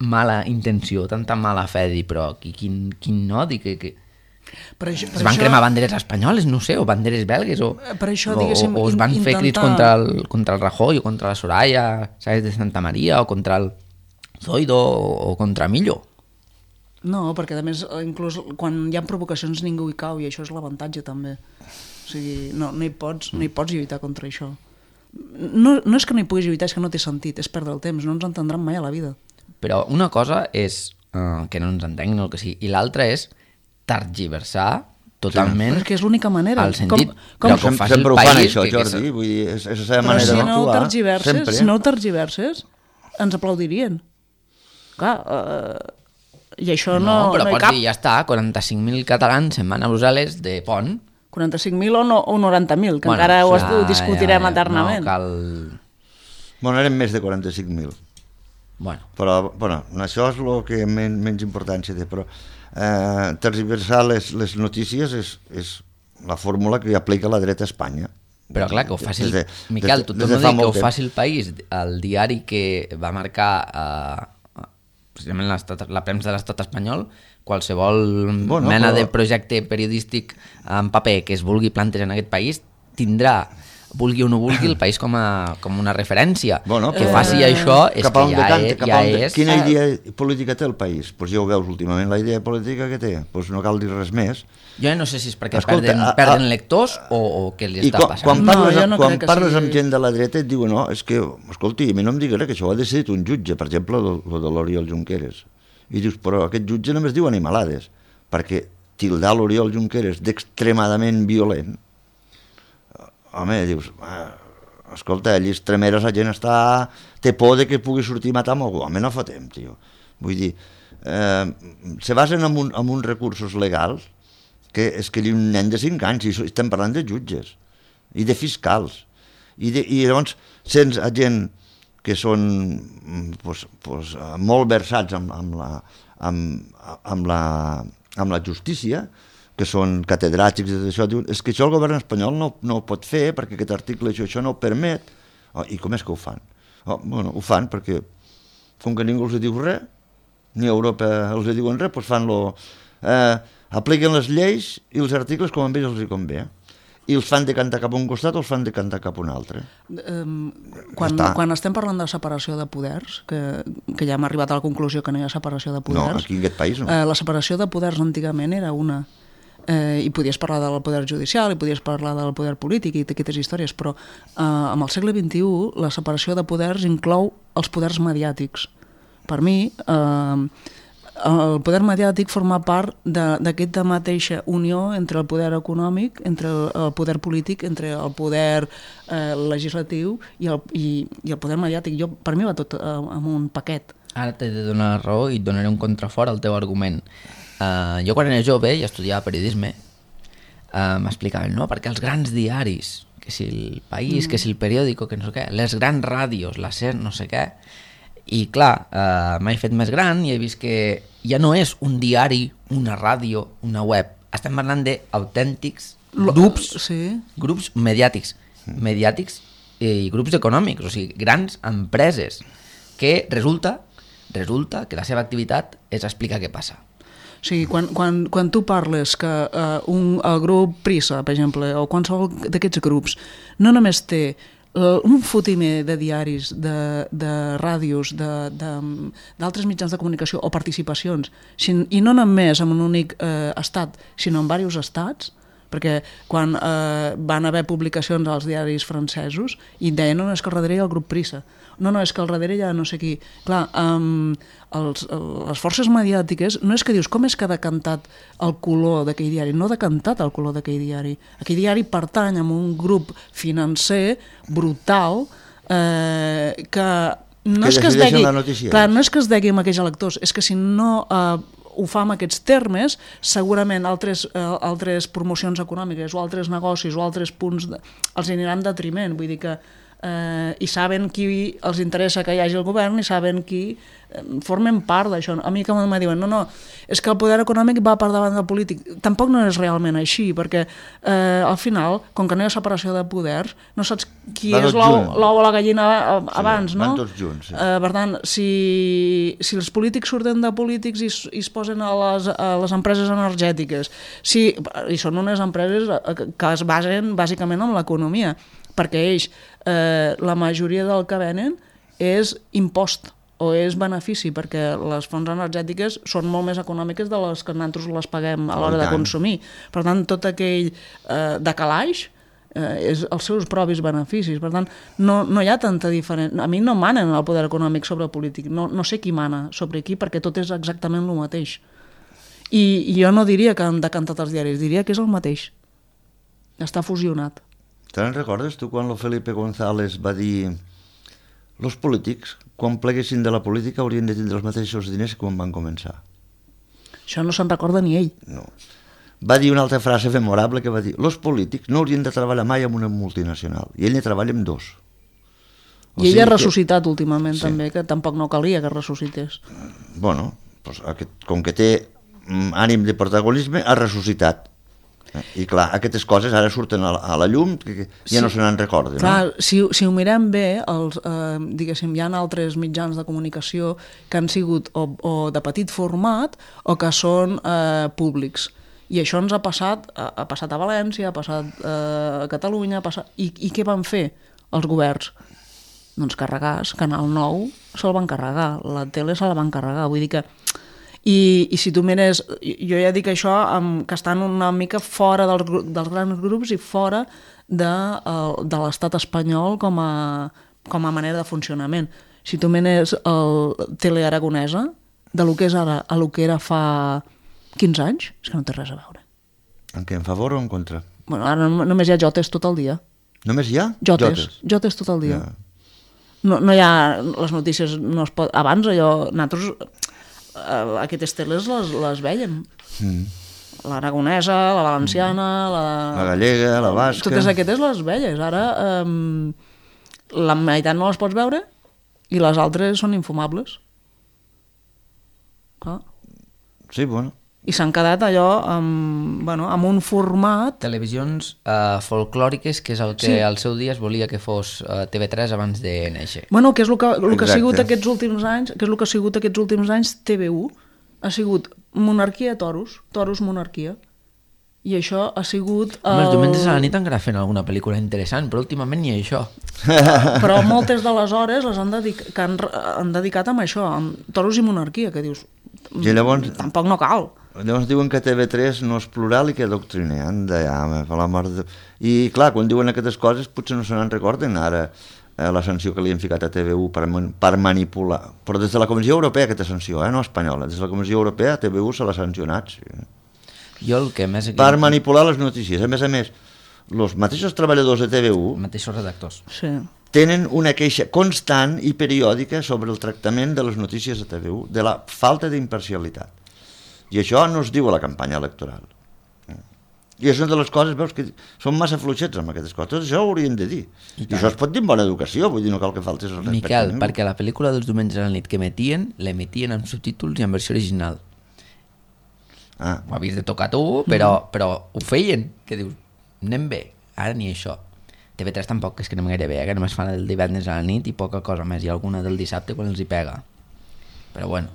mala intenció, tanta mala fe, dir, però qui, quin, quin odi, que, que... Per això, per es van això, cremar banderes espanyoles, no sé, o banderes belgues, o, Per això, o, diguéssim, o es van in- fer crits intentar- contra el, contra el Rajoy, o contra la Soraya, ¿sabes?, de Santa Maria, o contra el Zoido, o, o contra Millo. No, perquè a més, inclús quan hi ha provocacions ningú hi cau, i això és l'avantatge també. O sigui, no, no, hi pots, no hi pots lluitar contra això. No, no és que no hi puguis lluitar, és que no té sentit, és perdre el temps, no ens entendran mai a la vida. Però una cosa és uh, que no ens entenguin el que sigui, i l'altra és tergiversar totalment Però és que és l'única manera. el sentit, Com- com- però que ho Sem- faci el sempre ho fan, país. això, que, que Jordi, és- vull dir, és, és la seva Però manera si no ho d'actuar. tergiverses, sempre. si no ho tergiverses, ens aplaudirien. Clar, eh, i això no, no, però no hi pots cap. dir, ja està, quaranta-cinc mil catalans se'n van a Brussel·les de pont. quaranta-cinc mil o, no, o noranta mil, que Bueno, encara ho, ja, ho discutirem ja, ja, eternament. No cal... Bueno, eren més de quaranta-cinc mil. Bueno, Però, bueno, això és el que men, menys importància té, però eh, tergiversar les, les notícies és, és la fórmula que aplica la dreta a Espanya. però clar, que ho faci el... Des de- Miquel, des de- tu des torno de a fa dir que ho molt temps. faci el País, el diari que va marcar eh, precisament l'estat- la premsa de l'estat espanyol, qualsevol Bueno, mena però- de projecte periodístic en paper que es vulgui plantejar en aquest país tindrà, vulgui o no vulgui, el país com a, com una referència. Bueno, que però- faci això és cap a que on ja, decanta, és, cap a ja on de- és... Quina Eh, idea política té el país? Pues ja ho veus últimament, la idea política que té. Pues no cal dir res més. Jo no sé si és perquè Escolta, perden, a- a- perden lectors o, o què li I està quan, passant. quan No, parles, jo no quan crec que parles sigui- amb gent de la dreta et diuen, no, és que, escolti, a mi no em digues que això ho ha decidit un jutge, per exemple, el, el de l'Oriol Junqueras. I dius, però aquest jutge només diu animalades, perquè tildar l'Oriol Junqueras d'extremadament violent, home, dius, ah, escolta, allí extremeres la gent està, té por de que pugui sortir a matar amb algú, home, no fotem, tio. Vull dir, eh, se basen en, un, en uns recursos legals que és que un nen de cinc anys, i so- estem parlant de jutges i de fiscals, i, de, i llavors sents a gent que són mm, pues, pues, eh, molt versats amb, amb, la, amb, amb, la, amb la justícia, que són catedràtics i tot això, diuen, és que això el govern espanyol no, no ho pot fer perquè aquest article això, això no ho permet. Oh, i com és que ho fan? Oh, bueno, ho fan perquè com que ningú els diu res, ni a Europa els diuen res, doncs fan lo... Eh, apliquen les lleis i els articles com a ells els hi convé. I els fan decantar cap a un costat o els fan decantar cap a un altre. Um, quan, està. quan estem parlant de separació de poders, que, que ja hem arribat a la conclusió que no hi ha separació de No, poders, aquí en aquest país no. eh, la separació de poders antigament era una. Eh, I podies parlar del poder judicial, i podies parlar del poder polític i d'aquestes històries, però eh, amb el segle vint-i-u la separació de poders inclou els poders mediàtics. Per mi, eh, el poder mediàtic forma part d'aquesta mateixa unió entre el poder econòmic, entre el poder polític, entre el poder eh, legislatiu i el, i, i el poder mediàtic. Jo, per mi va tot eh, en un paquet. Ara t'he de donar raó i et donaré un contrafort al teu argument. Uh, jo quan era jove i estudiava periodisme uh, m'explicaven, no? Perquè els grans diaris, que si el País, mm. que si el Periódico, que no sé què, les grans ràdios, la SER, no sé què, i clar, uh, m'he fet més gran i he vist que ja no és un diari, una ràdio, una web, estem parlant d'autèntics grups, sí. grups mediàtics, mediàtics i grups econòmics, o sigui, grans empreses, que resulta, resulta que la seva activitat és explicar què passa. O sigui, quan, quan, quan tu parles que uh, un, el grup Prisa, per exemple, o qualsevol d'aquests grups, no només té uh, un fotimer de diaris, de, de ràdios, d'altres mitjans de comunicació o participacions, sin, i no només en un únic uh, estat, sinó en diversos estats, perquè quan eh, van haver publicacions als diaris francesos i deien no, no és que al darrere hi ha el grup Prisa, no, no, és que al darrere hi ha no sé qui. Clar, um, els, les forces mediàtiques no és que dius com és que ha decantat el color d'aquell diari, no ha decantat el color d'aquell diari. Aquell diari pertany a un grup financer brutal eh, que no que és que es degui, clar, no és que es degui amb aquells electors, és que si no eh, ho fa amb aquests termes, segurament altres, eh, altres promocions econòmiques o altres negocis o altres punts de, els aniran en detriment, vull dir que eh, i saben qui els interessa que hi hagi el govern i saben qui eh, formen part d'això. A mi que em diuen, no, no, és que el poder econòmic va per davant del polític. Tampoc no és realment així, perquè eh, al final, com que no hi ha separació de poders, no saps qui van és l'ou o la gallina abans, sí, no? Van tots junts, sí. Eh, per tant, si, si els polítics surten de polítics i, i es posen a les, a les empreses energètiques, si, i són unes empreses que es basen bàsicament en l'economia, perquè ells, eh, la majoria del que venen és impost o és benefici, perquè les fonts energètiques són molt més econòmiques de les que nosaltres les paguem a l'hora de consumir. Per tant, tot aquell eh, decalaix eh, és els seus propis beneficis. Per tant, no, no hi ha tanta diferència. A mi no manen el poder econòmic sobre el polític. No, no sé qui mana sobre qui, perquè tot és exactament el mateix. I, i jo no diria que han decantat els diaris, diria que és el mateix. Està fusionat. Te'n recordes tu quan el Felipe González va dir els polítics, quan pleguessin de la política, haurien de tindre els mateixos diners que quan van començar? Això no se'n recorda ni ell. No. Va dir una altra frase memorable que va dir els polítics no haurien de treballar mai amb una multinacional, i ell ne treballa amb dos. O I ell sigui ha ressuscitat que... últimament sí. també, que tampoc no calia que ressuscités. Bueno, doncs aquest, com que té ànim de protagonisme, ha ressuscitat. I clar, aquestes coses ara surten a la, a la llum que ja sí. no se n'en recorden. Clar, no? si, si ho mirem bé, els, eh, diguéssim, hi ha altres mitjans de comunicació que han sigut o, o de petit format o que són eh, públics. I això ens ha passat, ha, ha passat a València, ha passat eh, a Catalunya, ha passat... I, I què van fer els governs? Doncs carregar, Canal nou se'l van carregar, la tele se la van carregar, vull dir que... I, i si tu mires, jo ja dic això amb, que estan una mica fora dels, dels grans grups i fora de, de l'estat espanyol com a, com a manera de funcionament. Si tu mires el Telearagonesa, de lo que és ara a lo que era fa quinze anys, és que no té res a veure. En què, en favor o en contra? Bueno, ara només hi ha jotes tot el dia. Només hi ha? Jotes, jotes, jotes tot el dia. Ja. No, no hi ha, les notícies no es pot... Abans allò, nosaltres... Uh, aquestes teles les, les veiem. Mm. L'aragonesa, la valenciana, la... la gallega, la basca... Totes aquestes les veies. Ara um, la meitat no les pots veure i les altres són infumables. Clar. Sí, bueno. I s'han quedat allò amb, bueno, amb un format... Televisions uh, folclòriques, que és el que sí. al seu dia es volia que fos uh, T V tres abans de néixer. Bueno, que és el que, el que ha sigut aquests últims anys, que és el que ha sigut aquests últims anys T V u, ha sigut monarquia toros, toros monarquia. I això ha sigut... El... Els diumenges a la nit encara fent alguna pel·lícula interessant, però últimament ni això. Però moltes de les hores les han, dedic que han, han dedicat amb això, amb toros i monarquia, que dius... I llavors... Tampoc no cal. Llavors diuen que T V tres no és plural i que adoctrina. Anda, ja, per la mort de... I clar, quan diuen aquestes coses potser no se n'en recorden ara eh, la sanció que li han ficat a T V u per, per manipular. Però des de la Comissió Europea aquesta sanció, eh, no espanyola, des de la Comissió Europea a T V u se l'ha sancionat. Sí. Jo el que més... Aquí... Per manipular les notícies. A més a més, els mateixos treballadors de T V u... Els mateixos redactors. Sí. Tenen una queixa constant i periòdica sobre el tractament de les notícies de T V u, de la falta d'imparcialitat. I això no es diu a la campanya electoral. I és una de les coses, veus, que són massa fluixets amb aquestes coses. Tot això ho haurien de dir. I, I això es pot dir amb bona educació, vull dir, no cal que faltis el respecte. Miquel, perquè la pel·lícula dels diumenges a la nit que emetien, l'emetien amb subtítols i en versió original. Ah. Ho havies de tocar tu, però, però ho feien. Què dius? anem bé, ara ni això. T V tres tampoc, és que anem gaire bé, eh? Que només fan el divendres a la nit i poca cosa més, i alguna del dissabte quan els hi pega. Però bueno...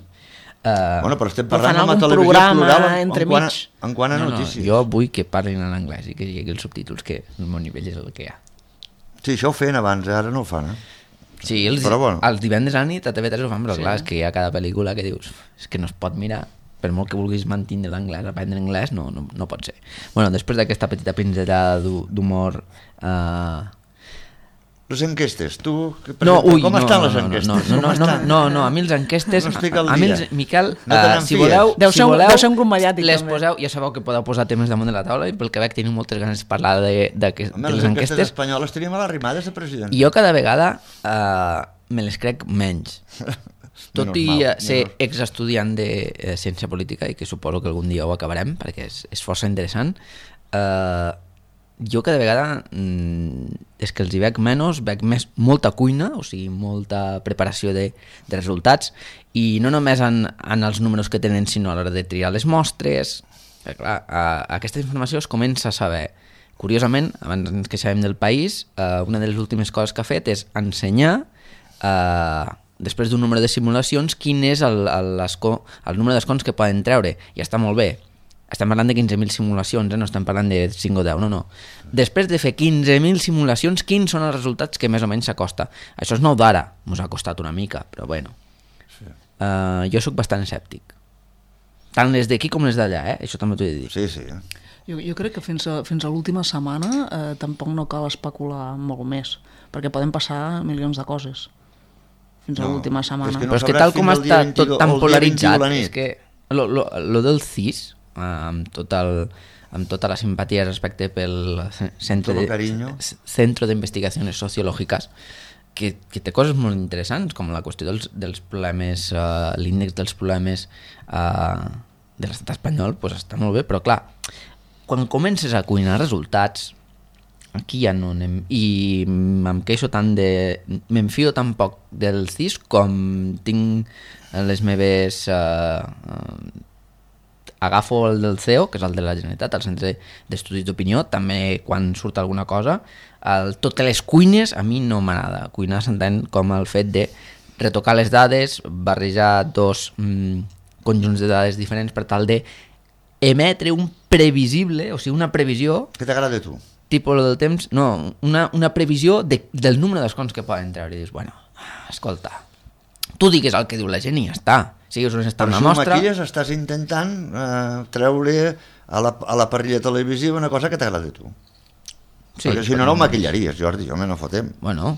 Uh, bueno, però estem però parlant fan d'una algun televisió programa plural en, entre en, quant a, mig. en quant a no, notícies. No, jo vull que parlin en anglès i que hi hagi els subtítols, que el meu nivell és el que hi ha. Sí, això ho feien abans, eh? Ara no ho fan, eh? Sí, els, però bueno. els divendres a la nit a T V tres ho fan, però Sí. clar, és que hi ha cada pel·lícula que dius és que no es pot mirar, per molt que vulguis mantenir l'anglès, aprendre anglès, no, no, no pot ser. Bueno, després d'aquesta petita pinzellada d'humor... Uh... Les enquestes, tu... Que No, ui, com no, estan no, les no, enquestes? no, no, Com no, no, estan? no, no, a mi les enquestes... No estic al a mi dia. els, Miquel, No te uh, n'en si fies. voleu... Deu si ser un- voleu, deu ser un grup mediàtic, les també. poseu, ja sabeu que podeu posar temes damunt de la taula i pel que veig teniu moltes ganes de parlar de, de, de, Home, de les les enquestes enquestes. espanyoles tenim a les rimades de president. Jo cada vegada uh, me les crec menys. Tot Menys i mal, eh, ser menys. exestudiant de eh, ciència política, i que suposo que algun dia ho acabarem, perquè és, és força interessant, eh, jo cada vegada mm, és que els hi veig menys, veig més molta cuina, o sigui, molta preparació de, de resultats, i no només en, en els números que tenen, sinó a l'hora de triar les mostres. Perquè, clar, eh, aquesta informació es comença a saber. Curiosament, abans ens queixàvem del País, eh, una de les últimes coses que ha fet és ensenyar, eh, després d'un número de simulacions, quin és el, el, l'escó, el número d'escons que poden treure. I està molt bé. Estem parlant de quinze mil simulacions, eh? No estem parlant de cinc o deu, no, no. Després de fer quinze mil simulacions, quins són els resultats que més o menys s'acosta? Això és nou d'ara, mos ha costat una mica, però bueno. Sí. Uh, jo sóc bastant escèptic. Tant les d'aquí com les d'allà, eh? Això també t'ho he de dir. Sí, sí. Jo, jo crec que fins a, fins a l'última setmana eh, tampoc no cal especular molt més, perquè poden passar milions de coses fins a No, l'última setmana. és que no Però és que sabràs tal com fins al dia està vint-i-u tot tan o el dia polaritzat, vint-i-u a la nit. és que lo, lo, lo del C I S, eh, amb, tot el, amb tota la simpatia respecte pel Centre Todo de, cariño. Centro de Investigaciones Sociológicas, que, que té coses molt interessants, com la qüestió dels, dels problemes, uh, l'índex dels problemes uh, de l'estat espanyol, pues està molt bé, però clar, quan comences a cuinar resultats, aquí ja no anem, i em queixo tant de... m'enfio tan poc del C I S com tinc les meves... Uh, uh, agafo el del C E O, que és el de la Generalitat, el Centre d'Estudis d'Opinió, també quan surt alguna cosa, el, tot que les cuines a mi no m'agrada. Cuinar s'entén com el fet de retocar les dades, barrejar dos mm, conjunts de dades diferents per tal de emetre un previsible, o sigui, una previsió, Què t'agrada a tu? tipus del temps, no, una, una previsió de, del número d'escons que poden treure. I dius, bueno, escolta, tu digues el que diu la gent i ja està. Si us està Però una si ho mostra... maquilles estàs intentant eh, treure a la, a la parrilla televisiva una cosa que t'agrada a tu. Sí, Perquè si no, no ho maquillaries, Jordi, home, no fotem. Bueno,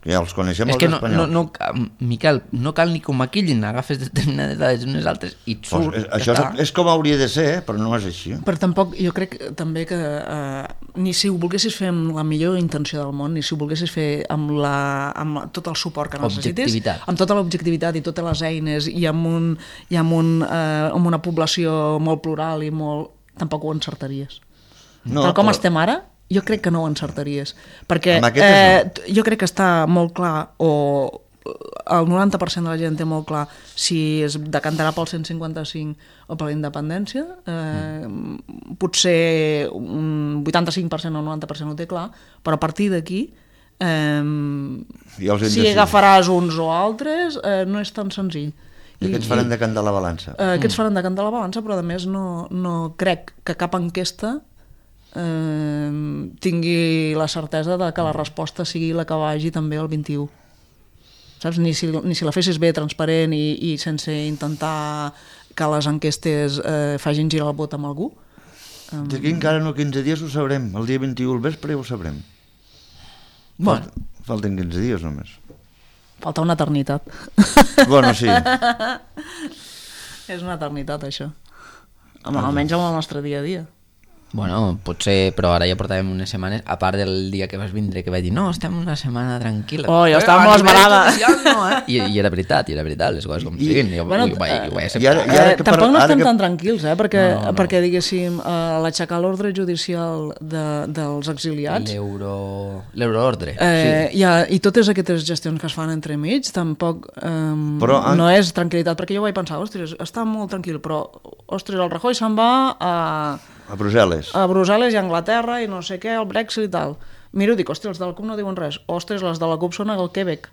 Que ja els coneixem és els que no, no, espanyols. no, ca- Miquel, no cal ni que ho maquillin, agafes determinades dades unes altres i et Pues, surt. eh, ja això està. és, és com hauria de ser, eh, però no és així. Però tampoc, jo crec també que eh, ni si ho volguessis fer amb la millor intenció del món, ni si ho volguessis fer amb, la, amb la, tot el suport que necessitis, Objectivitat. amb tota l'objectivitat i totes les eines i amb, un, i amb, un, eh, amb una població molt plural i molt... tampoc ho encertaries. No, Tal com però- estem ara, jo crec que no ho encertaries. Perquè Amb aquestes eh, t- jo crec que està molt clar, o el noranta per cent de la gent té molt clar si es decantarà pel cent cinquanta-cinc o per la independència. Eh, mm. Potser un vuitanta-cinc per cent o noranta per cent ho té clar, però a partir d'aquí eh, Ja els hem si decidit. agafaràs uns o altres eh, no és tan senzill. I aquests faran de cantar la balança. Eh, aquests faran de cantar la balança, però a més no, no crec que cap enquesta eh, tingui la certesa de que la resposta sigui la que vagi també el vint-i-u. Saps? Ni si, ni si la fessis bé, transparent i, i sense intentar que les enquestes eh, facin girar el vot amb algú. D'aquí encara no quinze dies ho sabrem. El dia vint-i-u al vespre ja ho sabrem. Bueno, Falten quinze dies només. Falta una eternitat. Bueno, sí. És una eternitat, això. Home, almenys amb el nostre dia a dia. bueno, potser, però ara ja portàvem unes setmanes, a part del dia que vas vindre, que vaig dir, no, estem una setmana tranquil·la. Oh, jo estava a molt nivell esmerada. social no, eh? I, I era veritat, i era veritat, les coses com I- siguin. Jo, bueno, ho, vaig, ho vaig i acceptar. ara- i ara Eh, que per- tampoc no ara estem que- tan tranquils, eh? perquè, No, no. perquè diguéssim, eh, l'aixecar l'ordre judicial de, dels exiliats, L'euro... L'euroordre. eh, sí. ha, i totes aquestes gestions que es fan entremig, tampoc eh, Però, ah, no és tranquil·litat, perquè jo vaig pensar, ostres, està molt tranquil, però, ostres, el Rajoy se'n va a, A Brussel·les. A Brussel·les i a Anglaterra i no sé què, el Brexit i tal. Miro, dic, hòstia, els de la CUP no diuen res. Ostres, les de la CUP són al Quebec.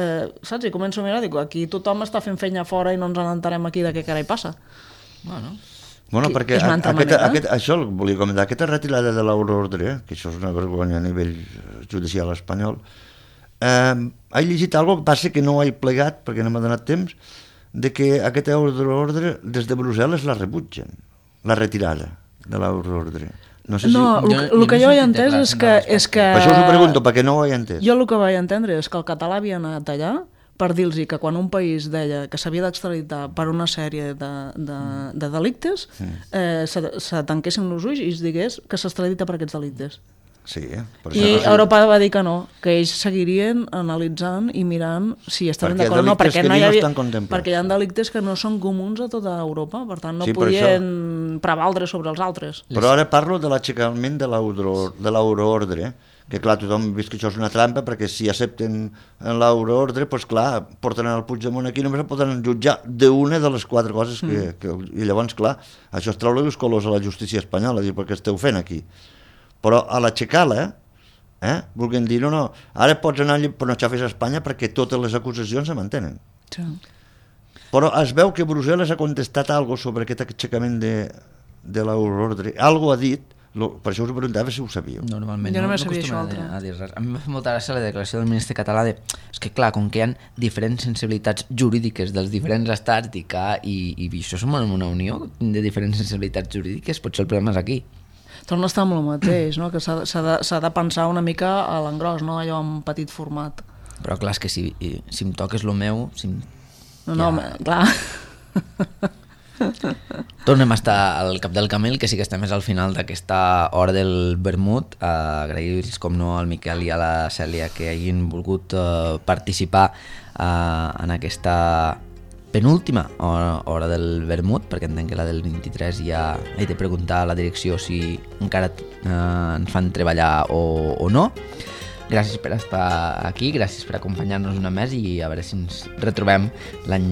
Eh, saps? I començo a mirar, dic, aquí tothom està fent feina fora i no ens n'entarem aquí de què carai passa. Bueno, Bueno, Que perquè és una altra aquesta, manera. aquest, això el volia comentar, aquesta retirada de l'euroordre, que això és una vergonya a nivell judicial espanyol, eh, he llegit alguna que passa que no he plegat, perquè no m'ha donat temps, de que aquest euroordre des de Brussel·les la rebutgen, la retirada de l'euroordre. No sé No, si... el, el que jo he entès és que, és que... Per això us ho pregunto, perquè no ho he entès. Jo el que vaig entendre és que el català havia anat allà per dir-los que quan un país deia que s'havia d'extraditar per una sèrie de, de, de delictes, eh, se, se tanquessin els ulls i es digués que s'extradita per aquests delictes. Sí, eh? Per I això, Europa va dir que no, que ells seguirien analitzant i mirant si estaven Perquè d'acord o no, delictes perquè que no hi no havia, estan contemplats. perquè hi ha delictes que no són comuns a tota Europa, per tant no Sí, per podien prevaldre sobre els altres. Però ara parlo de l'aixecament de l'euro- de l'euroordre, que clar, tothom ha vist que això és una trampa, perquè si accepten l'euroordre, doncs clar, porten el Puigdemont aquí, només el poden jutjar d'una de les quatre coses que, mm. que... I llavors, clar, això es treu els colors a la justícia espanyola, dir, perquè esteu fent aquí. Però a l'aixecar-la, eh, vulguin dir, no, no, ara pots anar allà, però no xafes a Espanya perquè totes les acusacions se mantenen. Sí. Però es veu que Brussel·les ha contestat alguna sobre aquest aixecament de, de l'euroordre. Algo ha dit, lo, per això us ho preguntava si ho sabíeu. normalment Jo no, no només sabia acostumen això a, dir- altre. a dir res. A mi m'ha fet molta gràcia la declaració del ministre català de... És que clar, com que hi ha diferents sensibilitats jurídiques dels diferents estats i, que, i, i això som en una unió de diferents sensibilitats jurídiques, potser el problema és aquí. Torna a estar amb el mateix, no? Que s'ha de, s'ha de, s'ha de pensar una mica a l'engròs, no allò en petit format. Però clar, és que si, i- si em toques lo meu... Si em... No, no, Ja. clar. Tornem a estar al cap del camell, que sí que estem més al final d'aquesta hora del vermut. Uh, Agrair-los, com no, al Miquel i a la Cèlia que hagin volgut uh, participar uh, en aquesta penúltima hora, hora del vermut, perquè entenc que la del vint-i-tres ja he de preguntar a la direcció si encara uh, ens fan treballar o, o no. Gràcies per estar aquí, gràcies per acompanyar-nos una més i a veure si ens retrobem l'any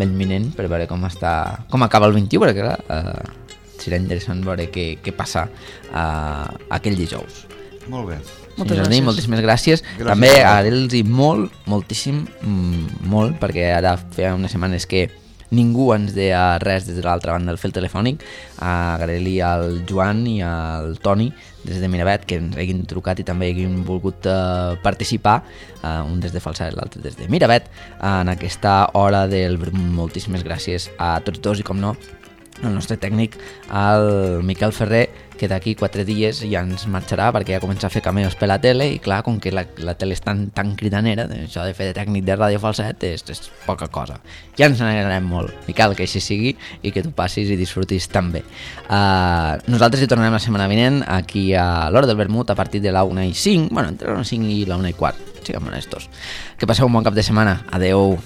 l'any vinent per veure com està com acaba el vint-i-u, perquè clar, eh, serà interessant veure què, què passa eh, aquell dijous. Molt bé. Moltes Senyor Jardí, gràcies. moltíssimes gràcies. Gràcies També a agrair-los molt, moltíssim, mm, molt, perquè ara feia unes setmanes que ningú ens deia res des de l'altra banda del fil telefònic. Agrair-li al Joan i al Toni des de Miravet que ens hagin trucat i també hagin volgut uh, participar, uh, un des de Falset i l'altre des de Miravet, uh, en aquesta hora del vermut. Moltíssimes gràcies a tots dos i, com no, el nostre tècnic, el Miquel Ferrer, que d'aquí quatre dies ja ens marxarà perquè ja comença a fer cameos per la tele i clar, com que la, la tele és tan, tan cridanera, això de fer de tècnic de Ràdio Falset és, és poca cosa. Ja ens n'alegrarem molt, Miquel, que així sigui i que tu passis i disfrutis també. Uh, nosaltres hi tornarem la setmana vinent aquí a l'Hora del Vermut a partir de la una i cinc, bueno, entre la una i cinc i la una i quart, siguem honestos. Que passeu un bon cap de setmana. Adeu.